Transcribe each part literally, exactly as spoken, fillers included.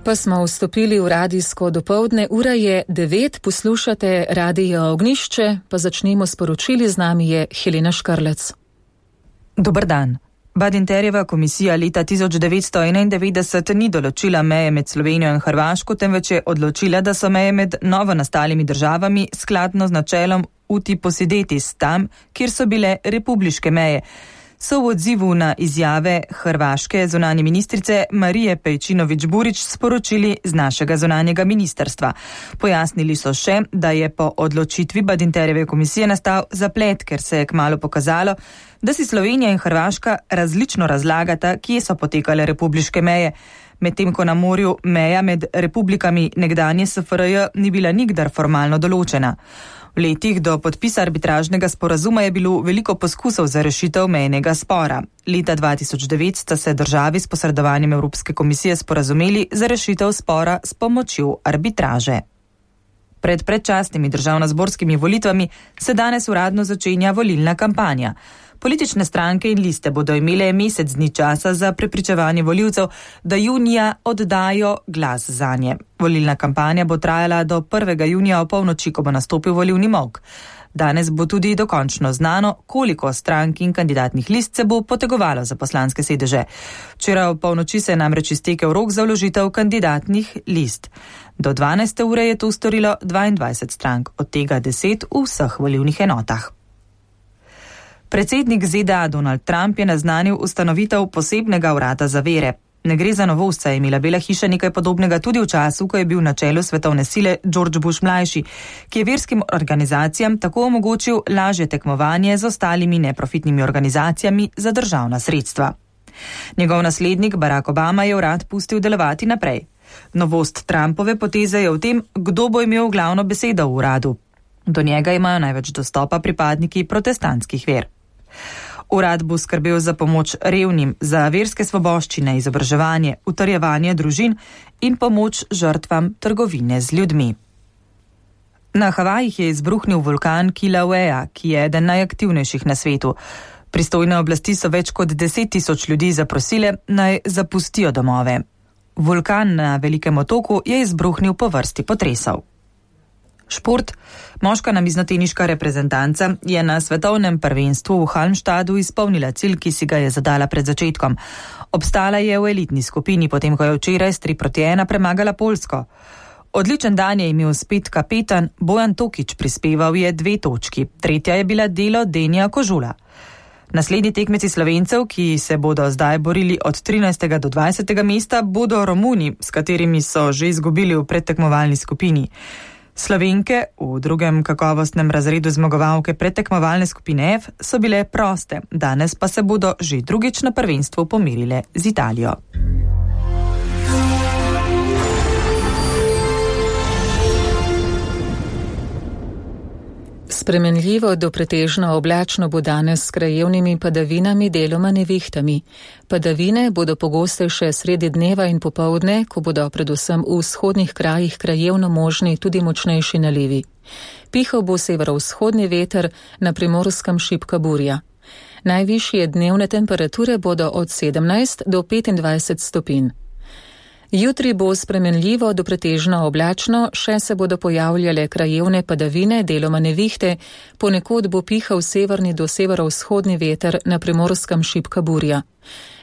Pa smo vstopili v radijsko dopoldne, ura je devet, poslušate Radio Ognjišče, pa začnemo sporočili, z nami je Helena Škarlec. Dober dan. Badinterjeva komisija leta tisoč devetsto enaindevetdeset ni določila meje med Slovenijo in Hrvaško, temveč je odločila, da so meje med novo nastalimi državami skladno z načelom uti possidetis tam, kjer so bile republiške meje. So v odzivu na izjave hrvaške zunanje ministrice Marije Pejčinović-Burić sporočili z našega zunanjega ministrstva. Pojasnili so še, da je po odločitvi Badinterjeve komisije nastal zaplet, ker se je kmalu pokazalo, da si Slovenija in Hrvaška različno razlagata, kje so potekale republiške meje. Medtem ko na morju meja med republikami nekdanje es ef er je ni bila nikdar formalno določena. V letih do podpisa arbitražnega sporazuma je bilo veliko poskusov za rešitev mejnega spora. Leta dva tisoč devet sta se državi s posredovanjem Evropske komisije sporazumeli za rešitev spora s pomočjo arbitraže. Pred predčasnimi državnozborskimi volitvami se danes uradno začenja volilna kampanja. Politične stranke in liste bodo imele mesec dni časa za prepričevanje volivcev, da junija oddajo glas zanje. Volilna kampanja bo trajala do prvega junija o polnoči, ko bo nastopil volilni molk. Danes bo tudi dokončno znano, koliko strank in kandidatnih list se bo potegovalo za poslanske sedeže. Včeraj o polnoči se je namreč iztekel rok za vložitev kandidatnih list. Do dvanajste ure je to storilo dvaindvajset strank, od tega deset v vseh volilnih enotah. Predsednik ze de a Donald Trump je naznanil ustanovitev posebnega urada za vere. Ne gre za novost, saj je imela Bela hiša nekaj podobnega tudi v času, ko je bil na čelu svetovne sile George Bush mlajši, ki je verskim organizacijam tako omogočil lažje tekmovanje z ostalimi neprofitnimi organizacijami za državna sredstva. Njegov naslednik Barack Obama je urad pustil delovati naprej. Novost Trumpove poteze je v tem, kdo bo imel glavno besedo v uradu. Do njega imajo največ dostopa pripadniki protestantskih ver. Urad bo skrbel za pomoč revnim, za verske svoboščine, izobraževanje, utrjevanje družin in pomoč žrtvam trgovine z ljudmi. Na Havajih je izbruhnil vulkan Kilauea, ki je eden najaktivnejših na svetu. Pristojne oblasti so več kot deset tisoč ljudi zaprosile, naj zapustijo domove. Vulkan na Velikem otoku je izbruhnil po vrsti potresov. Šport. Moška namiznoteniška reprezentanca je na svetovnem prvenstvu v Halmstadu izpolnila cilj, ki si ga je zadala pred začetkom. Obstala je v elitni skupini, potem ko je včeraj s tri proti ena premagala Poljsko. Odličen dan je imel spet kapetan Bojan Tokič, prispeval je dve točki. Tretja je bila delo Denija Kožula. Naslednji tekmeci Slovencev, ki se bodo zdaj borili od trinajstega do dvajsetega mesta, bodo Romuni, s katerimi so že izgubili v predtekmovalni skupini. Slovenke v drugem kakovostnem razredu zmagovalke predtekmovalne skupine F so bile proste, danes pa se bodo že drugič na prvenstvu pomirile z Italijo. Spremenljivo do pretežno oblačno bo danes s krajevnimi padavinami, deloma nevihtami. Padavine bodo pogostejše sredi dneva in popoldne, ko bodo predvsem v vzhodnih krajih krajevno možni tudi močnejši nalivi. Pihal bo severovzhodni veter, na Primorskem šibka burja. Najvišje dnevne temperature bodo od sedemnajst do petindvajset stopinj. Jutri bo spremenljivo do pretežno oblačno, še se bodo pojavljale krajevne padavine, deloma nevihte, ponekod bo pihal severni do severovzhodni veter, na Primorskem šibka burja.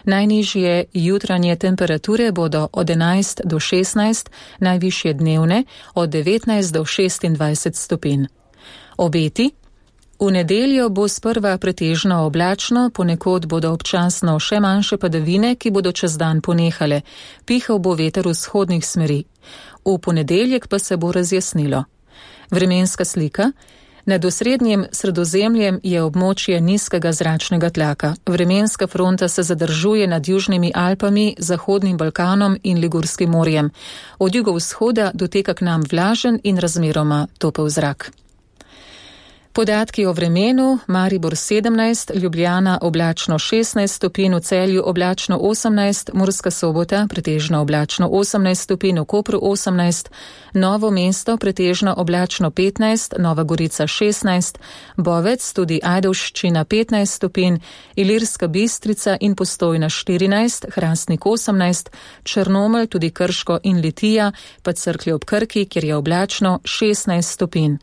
Najnižje jutranje temperature bodo od enajst do šestnajst, najvišje dnevne od devetnajst do šestindvajset stopinj. Obeti. V nedeljo bo sprva pretežno oblačno, ponekod bodo občasno še manjše padavine, ki bodo čez dan ponehale. Pihal bo veter vzhodnih smeri. V ponedeljek pa se bo razjasnilo. Vremenska slika. Nad osrednjim Sredozemljem je območje nizkega zračnega tlaka. Vremenska fronta se zadržuje nad Južnimi Alpami, Zahodnim Balkanom in Ligurskim morjem. Od jugovzhoda doteka k nam vlažen in razmeroma topel zrak. Podatki o vremenu: Maribor sedemnajst, Ljubljana oblačno šestnajst stopinj, v Celju oblačno osemnajst, Murska Sobota pretežno oblačno osemnajst stopinj, v Kopru osemnajst, Novo mesto pretežno oblačno petnajst, Nova Gorica šestnajst, Bovec tudi Ajdovščina petnajst stopinj, Ilirska Bistrica in Postojna štirinajst, Hrastnik osemnajst, Črnomelj tudi Krško in Litija, pa Cerklje ob Krki, kjer je oblačno šestnajst stopinj.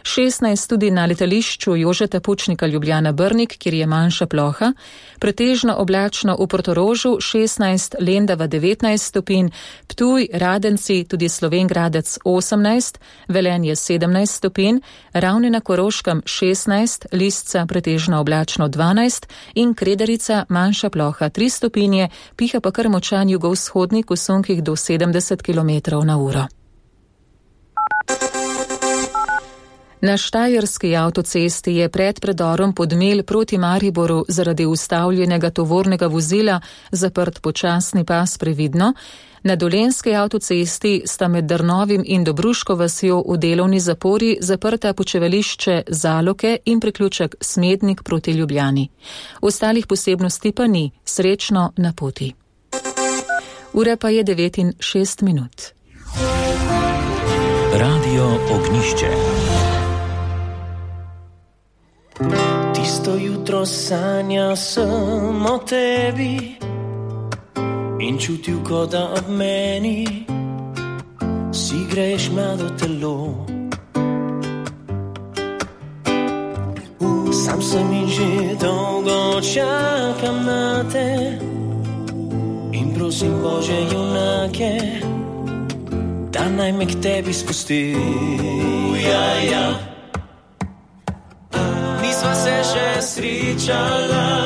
šestnajst tudi na letališču Jožeta Pučnika Ljubljana Brnik, kjer je manjša ploha, pretežno oblačno v Portorožu šestnajst, Lendava devetnajst stopinj, Ptuj, Radenci, tudi Slovenj Gradec osemnajst, Velenje sedemnajst stopinj, Ravne na Koroškem šestnajst, Lisca pretežno oblačno dvanajst in Kredarica manjša ploha tri stopinje, piha pa kar močan jugovzhodnik v sunkih do sedemdeset kilometrov na uro. Na štajerski avtocesti je pred predorom Podmelj proti Mariboru zaradi ustavljenega tovornega vozila zaprt počasni pas previdno. Na dolenjski avtocesti sta med Drnovim in Dobruško vasjo v delovni zapori zaprta počevališče Zaloke in priključek Smednik proti Ljubljani. Ostalih posebnosti pa ni, srečno na poti. Ura pa je devet in šest minut. Radio Ognjišče. Tisto jutro sanjal sem o tebi in čutil, kot da ob meni si greš mlado telo. Sam sem in že dolgo čakam na te in prosim Bože junake, da naj me k tebi spusti. Ja, ja. Nisva se še srečala